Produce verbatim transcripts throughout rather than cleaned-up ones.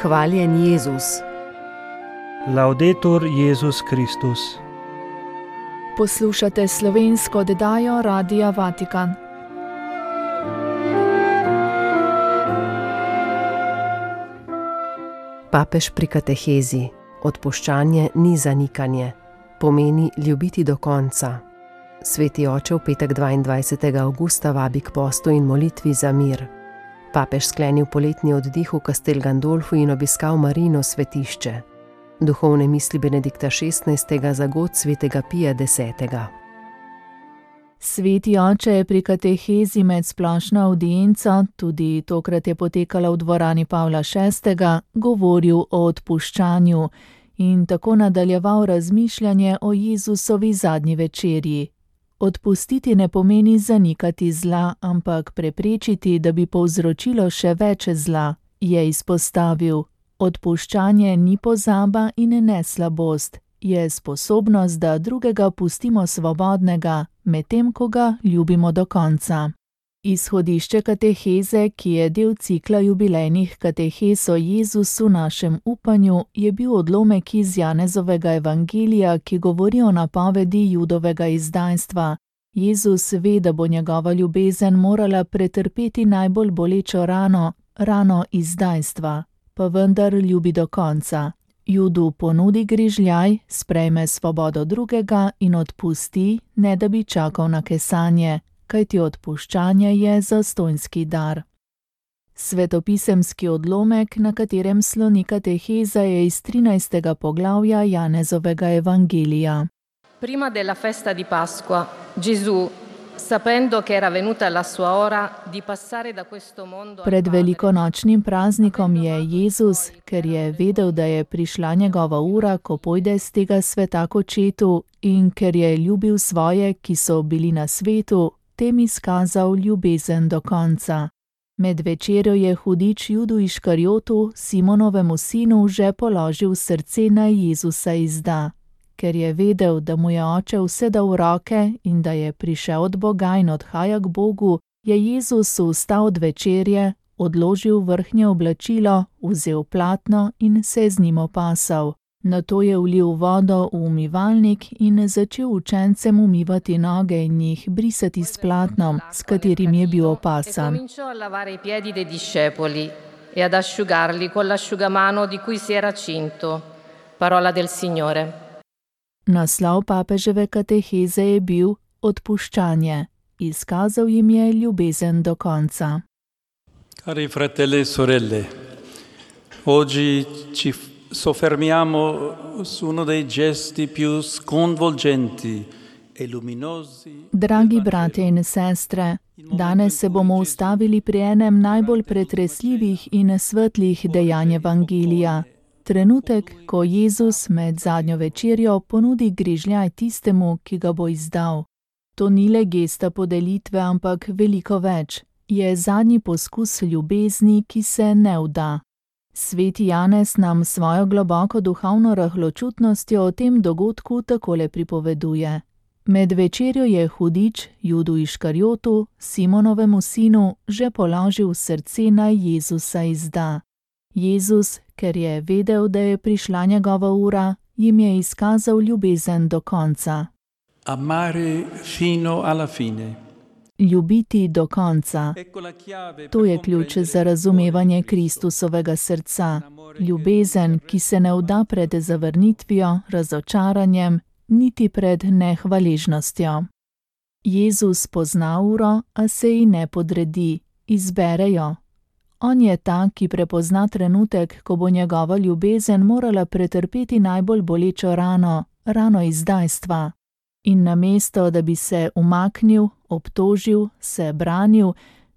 Hvaljen Jezus. Laudetur Jezus Kristus. Poslušate slovensko oddajo Radia Vatikan. Papež pri katehezi. Odpuščanje ni zanikanje. Pomeni ljubiti do konca. Sveti oče v petek dvaindvajsetega avgusta vabi k postu in molitvi za mir. Papež sklenil poletni oddih v Castel Gandolfu in obiskal Marijino svetišče. Duhovne misli Benedikta šestnajstega za god svetega Pija desetega. Sveti oče je pri katehezi med splošno avdienco, tudi tokrat je potekala v dvorani Pavla šestega, govoril o odpuščanju in tako nadaljeval razmišljanje o Jezusovi zadnji večerji. Odpustiti ne pomeni zanikati zla, ampak preprečiti, da bi povzročilo še več zla, je izpostavil. Odpuščanje ni pozaba in ne slabost, je sposobnost, da drugega pustimo svobodnega, medtem ko ga ljubimo do konca. Izhodišče kateheze, ki je del cikla jubilejnih katehez o Jezusu našem upanju, je bil odlomek iz Janezovega evangelija, ki govori o napovedi Judovega izdajstva. Jezus ve, da bo njegova ljubezen morala pretrpeti najbolj bolečo rano, rano izdajstva, pa vendar ljubi do konca. Judu ponudi grižljaj, sprejme svobodo drugega in odpusti, ne da bi čakal na kesanje, kajti odpuščanje je zastonjski dar. Svetopisemski odlomek, na katerem sloni kateheza, je iz trinajstega poglavja Janezovega evangelija. Prima della festa di Pasqua, Gesù, sapendo che era venuta la sua ora di passare da questo mondo. Pred velikonočnim praznikom je Jezus, ker je vedel, da je prišla njegova ura, ko pojde z tega sveta k očetu, in ker je ljubil svoje, ki so bili na svetu, tem izkazal ljubezen do konca. Med večerjo je hudič Judu Iškarjotu, Simonovemu sinu, že položil srce, naj Jezusa izda. Ker je vedel, da mu je oče vse dal v roke in da je prišel od Boga in odhaja k Bogu, je Jezus vstal od večerje, odložil vrhnje oblačilo, vzel platno in se z njim opasal. Nato je vlil vodo v umivalnik in začel učencem umivati noge in jih brisati s platnom, s katerim je bil opasan. E cominciò a lavare i piedi dei discepoli e ad asciugarli con l'asciugamano di cui si era cinto. Parola del Signore. Naslov papeževe kateheze je bil odpuščanje. Izkazal jim je ljubezen do konca. Cari fratelli e sorelle, oggi ci soffermiamo su uno dei gesti più sconvolgenti e luminosi. Dragi bratje in sestre, danes se bomo ustavili pri enem najbolj pretresljivih in svetlih dejanj evangelija. Trenutek, ko Jezus med zadnjo večerjo ponudi grižljaj tistemu, ki ga bo izdal. To ni le gesta podelitve, ampak veliko več. Je zadnji poskus ljubezni, ki se ne vda. Sveti Janez nam svojo globoko duhovno rahločutnostjo o tem dogodku takole pripoveduje. Med večerjo je hudič Judu Iškarjotu, Simonovemu sinu, že položil srce, naj Jezusa izda. Jezus, ker je vedel, da je prišla njegova ura, jim je izkazal ljubezen do konca. Amare fino alla fine. Ljubiti do konca. To je ključ za razumevanje Kristusovega srca. Ljubezen, ki se ne vda pred zavrnitvijo, razočaranjem, niti pred nehvaležnostjo. Jezus pozna uro, a se ji ne podredi, izbere jo. On je ta, ki prepozna trenutek, ko bo njegova ljubezen morala pretrpeti najbolj bolečo rano, rano izdajstva. In namesto, da bi se umaknil, obtožil, se branil,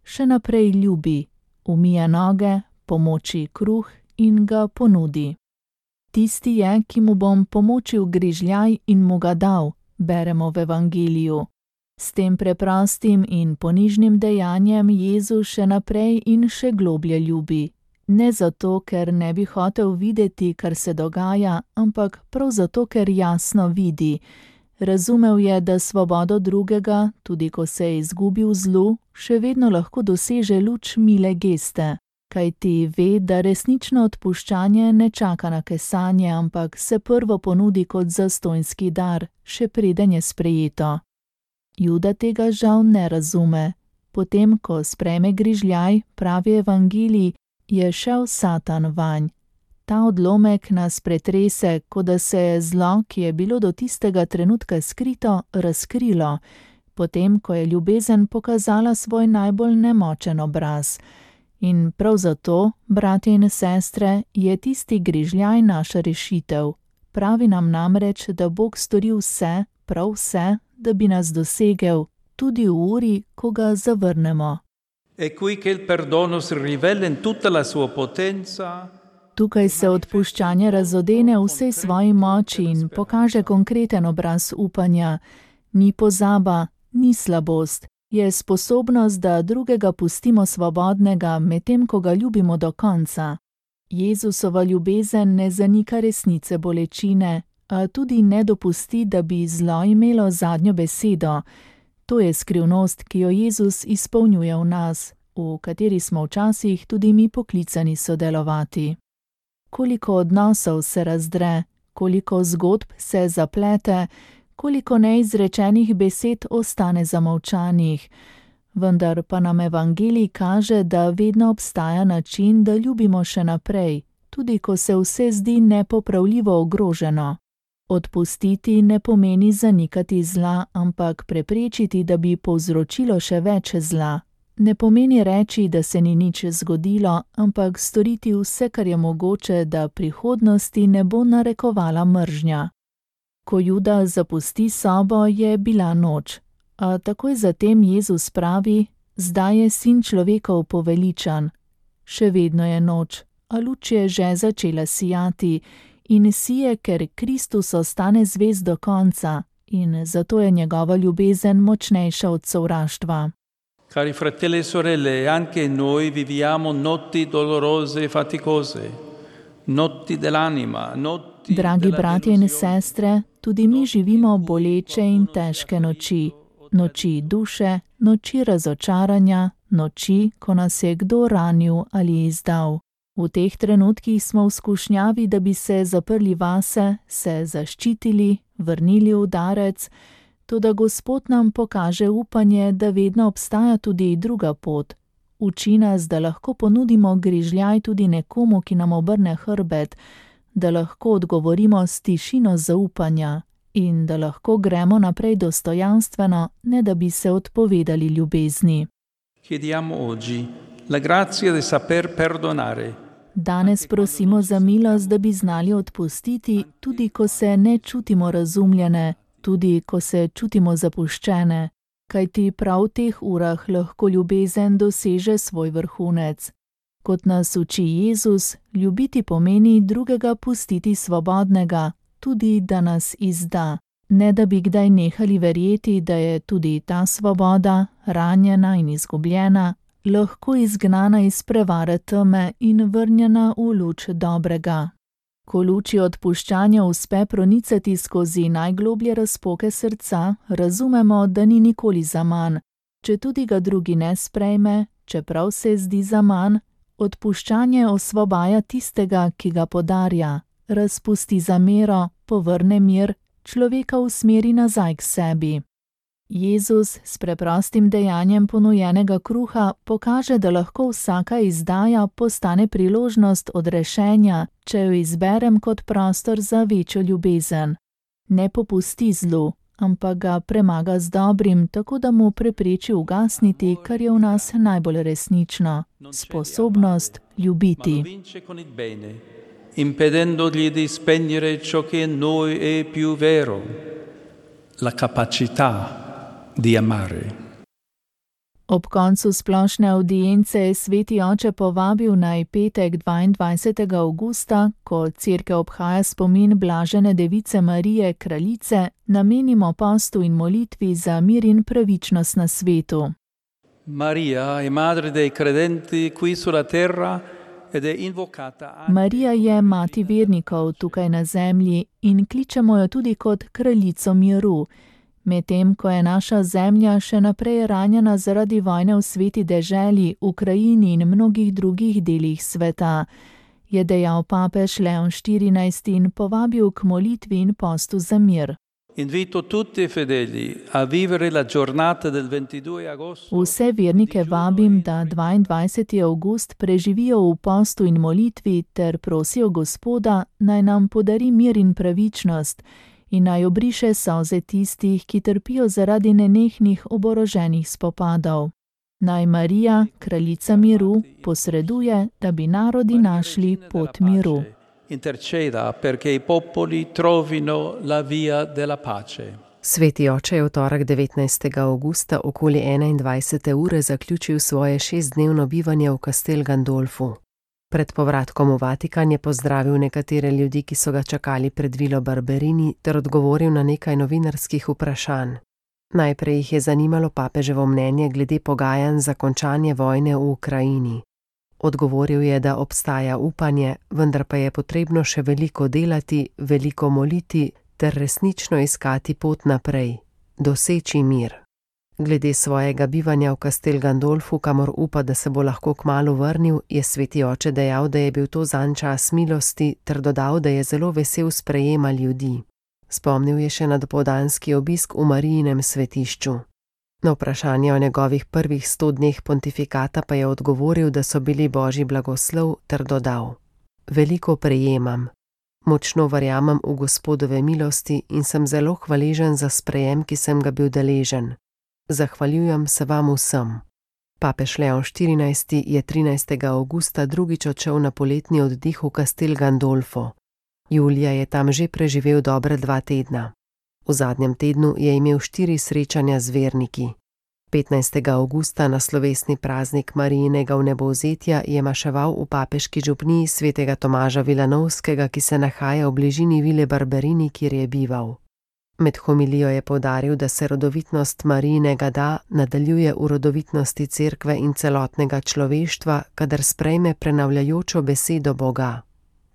še naprej ljubi, umije noge, pomoči kruh in ga ponudi. Tisti je, ki mu bom pomočil grižljaj in mu ga dal, beremo v evangeliju. S tem preprostim in ponižnim dejanjem Jezus še naprej in še globlje ljubi. Ne zato, ker ne bi hotel videti, kar se dogaja, ampak prav zato, ker jasno vidi. Razumel je, da svobodo drugega, tudi ko se je izgubil v zlu, še vedno lahko doseže luč mile geste, kajti ve, da resnično odpuščanje ne čaka na kesanje, ampak se prvo ponudi kot zastonjski dar, še preden je sprejeto. Juda tega žal ne razume. Potem, ko sprejme grižljaj, pravi evangelij, je šel Satan vanj. Ta odlomek nas pretrese, kot da se je zlo, ki je bilo do tistega trenutka skrito, razkrilo, potem, ko je ljubezen pokazala svoj najbolj nemočen obraz. In prav zato, bratje in sestre, je tisti grižljaj naša rešitev. Pravi nam namreč, da Bog stori vse, prav vse, da bi nas dosegel, tudi v uri, ko ga zavrnemo. E qui che il perdono si rivela in tutta la sua potenza. Tukaj se odpuščanje razodene v vsej svoji moči in pokaže konkreten obraz upanja. Ni pozaba, ni slabost, je sposobnost, da drugega pustimo svobodnega, medtem ko ga ljubimo do konca. Jezusova ljubezen ne zanika resnice bolečine, a tudi ne dopusti, da bi zlo imelo zadnjo besedo. To je skrivnost, ki jo Jezus izpolnjuje v nas, v kateri smo včasih tudi mi poklicani sodelovati. Koliko odnosov se razdre, koliko zgodb se zaplete, koliko neizrečenih besed ostane zamolčanih. Vendar pa nam evangelij kaže, da vedno obstaja način, da ljubimo še naprej, tudi ko se vse zdi nepopravljivo ogroženo. Odpustiti ne pomeni zanikati zla, ampak preprečiti, da bi povzročilo še več zla. Ne pomeni reči, da se ni nič zgodilo, ampak storiti vse, kar je mogoče, da prihodnosti ne bo narekovala mržnja. Ko Juda zapusti sobo, je bila noč. A takoj zatem Jezus pravi, zdaj je sin človekov poveličan. Še vedno je noč, a luč je že začela sijati in sije, ker Kristus ostane zvest do konca in zato je njegova ljubezen močnejša od sovraštva. Cari fratelli e sorelle, anche noi viviamo notti dolorose e faticose, notti dell'anima, notti Dragi bratje in sestre, tudi mi živimo boleče in težke noči. Noči duše, noči razočaranja, noči, ko nas je kdo ranil ali izdal. V teh trenutkih smo v skušnjavi, da bi se zaprli vase, se zaščitili, vrnili udarec, toda Gospod nam pokaže upanje, da vedno obstaja tudi druga pot. Uči nas, da lahko ponudimo grižljaj tudi nekomu, ki nam obrne hrbet, da lahko odgovorimo s tišino zaupanja in da lahko gremo naprej dostojanstveno, ne da bi se odpovedali ljubezni. Chiediamo oggi la grazia di saper perdonare. Danes prosimo za milost, da bi znali odpustiti, tudi ko se ne čutimo razumljene, tudi ko se čutimo zapuščene, kajti prav v teh urah lahko ljubezen doseže svoj vrhunec. Kot nas uči Jezus, ljubiti pomeni drugega pustiti svobodnega, tudi da nas izda, ne da bi kdaj nehali verjeti, da je tudi ta svoboda, ranjena in izgubljena, lahko izgnana iz prevare teme in vrnjena v luč dobrega. Ko luči odpuščanja uspe pronicati skozi najgloblje razpoke srca, razumemo, da ni nikoli zaman. Če tudi ga drugi ne sprejme, čeprav se zdi zaman, odpuščanje osvobaja tistega, ki ga podarja, razpusti zamero, povrne mir, človeka usmeri nazaj k sebi. Jezus s preprostim dejanjem ponujenega kruha pokaže, da lahko vsaka izdaja postane priložnost odrešenja, če jo izberem kot prostor za večjo ljubezen. Ne popusti zlu, ampak ga premaga z dobrim, tako da mu prepreči ugasniti, kar je v nas najbolj resnično, sposobnost ljubiti. Impedendogli di spegnere ciò che in noi è più vero, la capacità di amare. Ob koncu splošne avdience je sveti oče povabil naj petek dvaindvajsetega avgusta, ko cerkev obhaja spomin blažene device Marije, kraljice, namenimo postu in molitvi za mir in pravičnost na svetu. Maria è madre dei credenti qui sulla terra. Marija je mati vernikov tukaj na zemlji in kličemo jo tudi kot kraljico miru. Medtem ko je naša zemlja še naprej ranjena zaradi vojne v sveti deželi, Ukrajini in mnogih drugih delih sveta, je dejal papež Leon štirinajsti in povabil k molitvi in postu za mir. Invito tutti i fedeli a vivere la giornata del ventidue agosto. Vse vernike vabim, da dvaindvajseti avgust preživijo v postu in molitvi ter prosijo Gospoda, naj nam podari mir in pravičnost in naj obriše solze tistih, ki trpijo zaradi nenehnih oboroženih spopadov. Naj Marija, kraljica miru, posreduje, da bi narodi našli pot miru. Interceda perché i popoli trovino la via della pace. Sveti oče je v torek devetnajstega avgusta okoli enaindvajsete ure zaključil svoje šestdnevno bivanje v Castel Gandolfu. Pred povratkom v Vatikan je pozdravil nekatere ljudi, ki so ga čakali pred vilo Barberini, ter odgovoril na nekaj novinarskih vprašanj. Najprej jih je zanimalo papeževo mnenje glede pogajanj za končanje vojne v Ukrajini. Odgovoril je, da obstaja upanje, vendar pa je potrebno še veliko delati, veliko moliti ter resnično iskati pot naprej, doseči mir. Glede svojega bivanja v Castel Gandolfu, kamor upa, da se bo lahko kmalu vrnil, je sveti oče dejal, da je bil to zanj čas milosti, ter dodal, da je zelo vesel sprejema ljudi. Spomnil je še na dopoldanski obisk v Marijinem svetišču. Na vprašanje o njegovih prvih sto dneh pontifikata pa je odgovoril, da so bili božji blagoslov, ter dodal: Veliko prejemam. Močno verjamem v Gospodove milosti in sem zelo hvaležen za sprejem, ki sem ga bil deležen. Zahvaljujem se vam vsem. Papež Leon štirinajsti je trinajstega avgusta drugič odšel na poletni oddih v Castel Gandolfo. Julija je tam že preživel dobre dva tedna. V zadnjem tednu je imel štiri srečanja z verniki. petnajstega avgusta na slovesni praznik Marijinega vnebovzetja je maševal v papeški župniji svetega Tomaža Vilanovskega, ki se nahaja v bližini vile Barberini, kjer je bival. Med homilijo je poudaril, da se rodovitnost Marijinega da nadaljuje v rodovitnosti cerkve in celotnega človeštva, kadar sprejme prenavljajočo besedo Boga.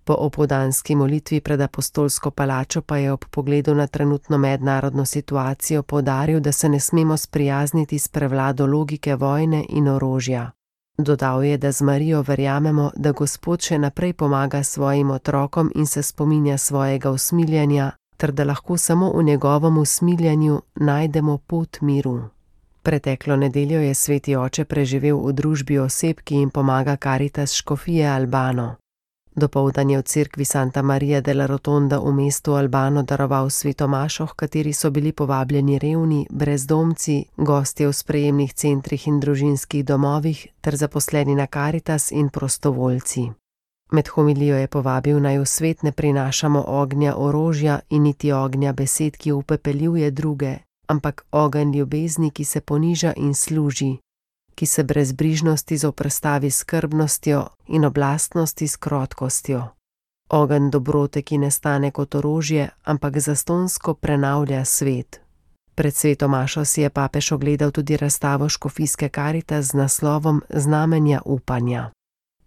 Po opoldanski molitvi pred apostolsko palačo pa je ob pogledu na trenutno mednarodno situacijo poudaril, da se ne smemo sprijazniti s prevlado logike vojne in orožja. Dodal je, da z Marijo verjamemo, da Gospod še naprej pomaga svojim otrokom in se spominja svojega usmiljenja, ter da lahko samo v njegovem usmiljanju najdemo pot miru. Preteklo nedeljo je sveti oče preživel v družbi oseb, ki jim pomaga Caritas škofije Albano. Dopoldan je v cerkvi Santa Maria della Rotonda v mestu Albano daroval sveto mašo, h kateri so bili povabljeni revni, brezdomci, gostje v sprejemnih centrih in družinskih domovih ter zaposleni na Caritas in prostovoljci. Med homilijo je povabil, naj v svet ne prinašamo ognja orožja in niti ognja besed, ki upepeljuje druge, ampak ogenj ljubezni, ki se poniža in služi, ki se brezbrižnosti zoperstavi skrbnostjo in oblastnosti s krotkostjo. Ogenj dobrote, ki ne stane kot orožje, ampak zastonsko prenavlja svet. Pred sveto mašo si je papež ogledal tudi razstavo škofijske Caritas z naslovom Znamenja upanja.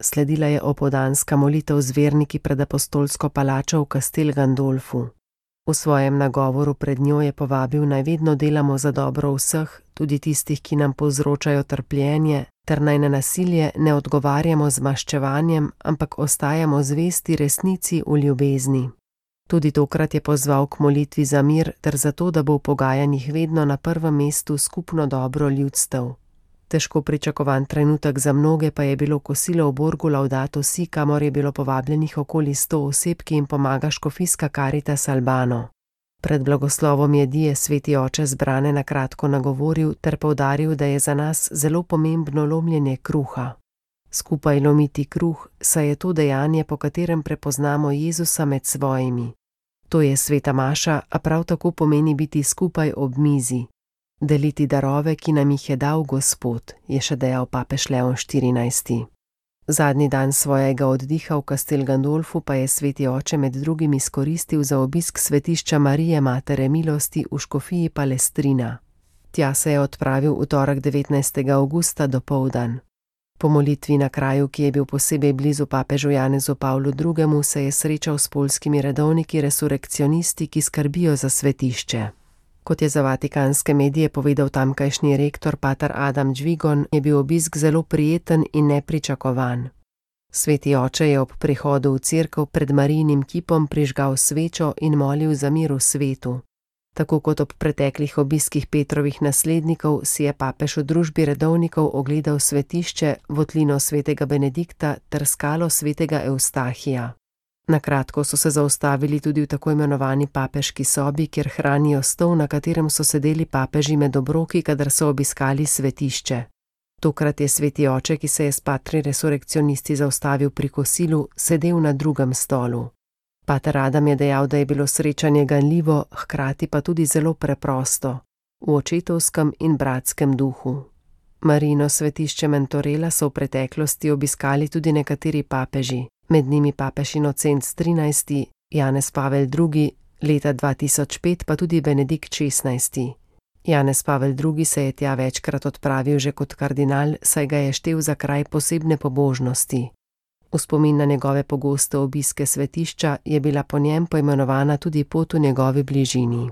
Sledila je opoldanska molitev z verniki pred apostolsko palačo v Castel Gandolfu. V svojem nagovoru pred njo je povabil, naj vedno delamo za dobro vseh, tudi tistih, ki nam povzročajo trpljenje, ter naj na nasilje ne odgovarjamo z maščevanjem, ampak ostajamo zvesti resnici v ljubezni. Tudi tokrat je pozval k molitvi za mir ter za to, da bo v pogajanjih vedno na prvem mestu skupno dobro ljudstev. Težko pričakovan trenutek za mnoge pa je bilo kosilo v Borgu Laudato Si, kamor je bilo povabljenih okoli sto oseb, ki jim pomaga škofijska Caritas Albano. Pred blagoslovom jedi je sveti oče zbrane na kratko nagovoril ter poudaril, da je za nas zelo pomembno lomljenje kruha. Skupaj lomiti kruh, saj je to dejanje, po katerem prepoznamo Jezusa med svojimi. To je sveta maša, a prav tako pomeni biti skupaj ob mizi. Deliti darove, ki nam jih je dal Gospod, je še dejal papež Leon štirinajsti. Zadnji dan svojega oddiha v Castel Gandolfu pa je sveti oče med drugim izkoristil za obisk svetišča Marije Matere milosti v škofiji Palestrina. Tja se je odpravil v torek devetnajstega avgusta dopoldan. Po molitvi na kraju, ki je bil posebej blizu papežu Janezu Pavlu drugemu, se je srečal s poljskimi redovniki resurekcionisti, ki skrbijo za svetišče. Kot je za vatikanske medije povedal tamkajšnji rektor pater Adam Džvigon, je bil obisk zelo prijeten in nepričakovan. Sveti oče je ob prihodu v cerkev pred Marijinim kipom prižgal svečo in molil za mir v svetu. Tako kot ob preteklih obiskih Petrovih naslednikov si je papež v družbi redovnikov ogledal svetišče, votlino svetega Benedikta ter skalo svetega Eustahija. Na kratko so se zaustavili tudi v tako imenovani papeški sobi, kjer hranijo stol, na katerem so sedeli papeži med obroki, kadar so obiskali svetišče. Tokrat je sveti oče, ki se je s patri resurrekcionisti zaustavil pri kosilu, sedel na drugem stolu. Pater Adam je dejal, da je bilo srečanje ganljivo, hkrati pa tudi zelo preprosto, v očetovskem in bratskem duhu. Marijino svetišče Mentorela so v preteklosti obiskali tudi nekateri papeži, med njimi papež Inocenc trinajsti, Janez Pavel drugi, leta dva tisoč pet pa tudi Benedikt šestnajsti. Janez Pavel drugi se je tja večkrat odpravil že kot kardinal, saj ga je štel za kraj posebne pobožnosti. V spomin na njegove pogoste obiske svetišča je bila po njem poimenovana tudi pot v njegovi bližini.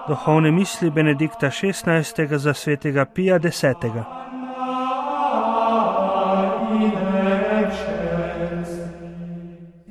Duhovne misli Benedikta šestnajstega za svetega Pija desetega.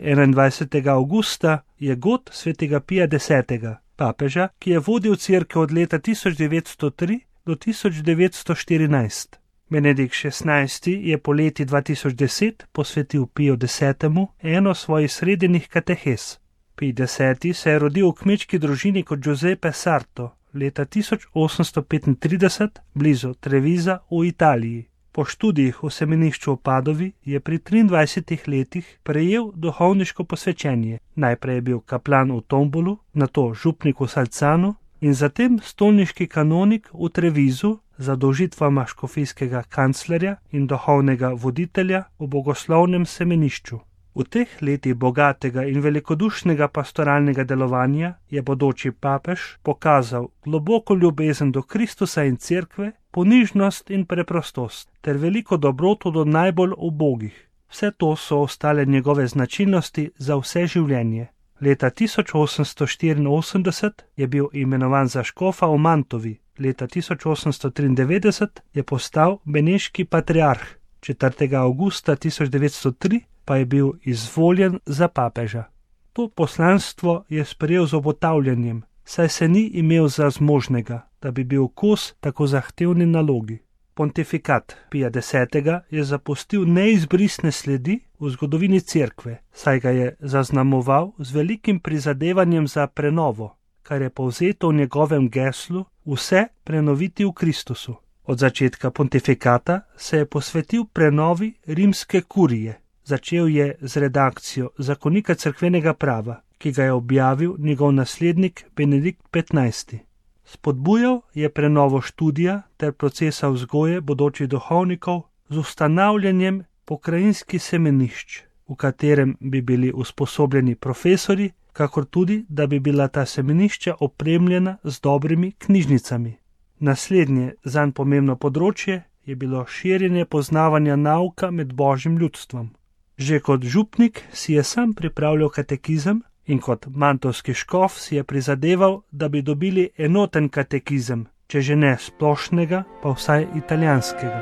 enaindvajsetega avgusta je god svetega Pija desetega, papeža, ki je vodil cerkev od leta tisoč devetsto tri do tisoč devetsto štirinajst. Benedikt šestnajsti je poleti dva tisoč deset posvetil Piju desetemu eno svojih srednjih katehes. Pij deseti se je rodil v kmečki družini kot Giuseppe Sarto leta tisoč osemsto petintrideset blizu Treviza v Italiji. Po študijih v semenišču v Padovi je pri triindvajsetih letih prejel duhovniško posvečenje. Najprej je bil kaplan v Tombolu, nato župnik v Salcanu in zatem stolniški kanonik v Trevizu z zadolžitvama škofijskega kanclerja in duhovnega voditelja v bogoslovnem semenišču. V teh letih bogatega in velikodušnega pastoralnega delovanja je bodoči papež pokazal globoko ljubezen do Kristusa in cerkve, ponižnost in preprostost ter veliko dobroto do najbolj ubogih. Vse to so ostale njegove značilnosti za vse življenje. Leta tisoč osemsto štiriinosemdeset je bil imenovan za škofa v Mantovi, leta tisoč osemsto triindevetdeset je postal beneški patriarh, četrtega avgusta tisoč devetsto tri pa je bil izvoljen za papeža. To poslanstvo je sprejel z obotavljanjem, saj se ni imel za zmožnega, da bi bil kos tako zahtevni nalogi. Pontifikat Pija desetega je zapustil neizbrisne sledi v zgodovini cerkve, saj ga je zaznamoval z velikim prizadevanjem za prenovo, kar je povzeto v njegovem geslu vse prenoviti v Kristusu. Od začetka pontifikata se je posvetil prenovi rimske kurije. Začel je z redakcijo zakonika cerkvenega prava, ki ga je objavil njegov naslednik Benedikt petnajsti. Spodbujal je prenovo študija ter procesa vzgoje bodočih duhovnikov z ustanavljanjem pokrajinskih semenišč, v katerem bi bili usposobljeni profesori, kakor tudi, da bi bila ta semenišča opremljena z dobrimi knjižnicami. Naslednje zanj pomembno področje je bilo širjenje poznavanja nauka med božjim ljudstvom. Že kot župnik si je sam pripravljal katekizem in kot mantovski škof si je prizadeval, da bi dobili enoten katekizem, če že ne splošnega, pa vsaj italijanskega.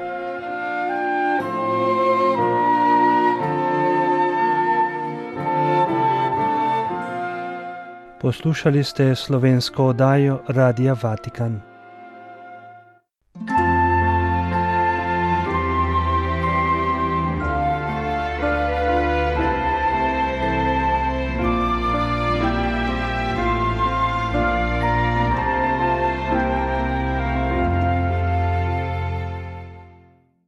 Poslušali ste slovensko oddajo Radia Vatikan.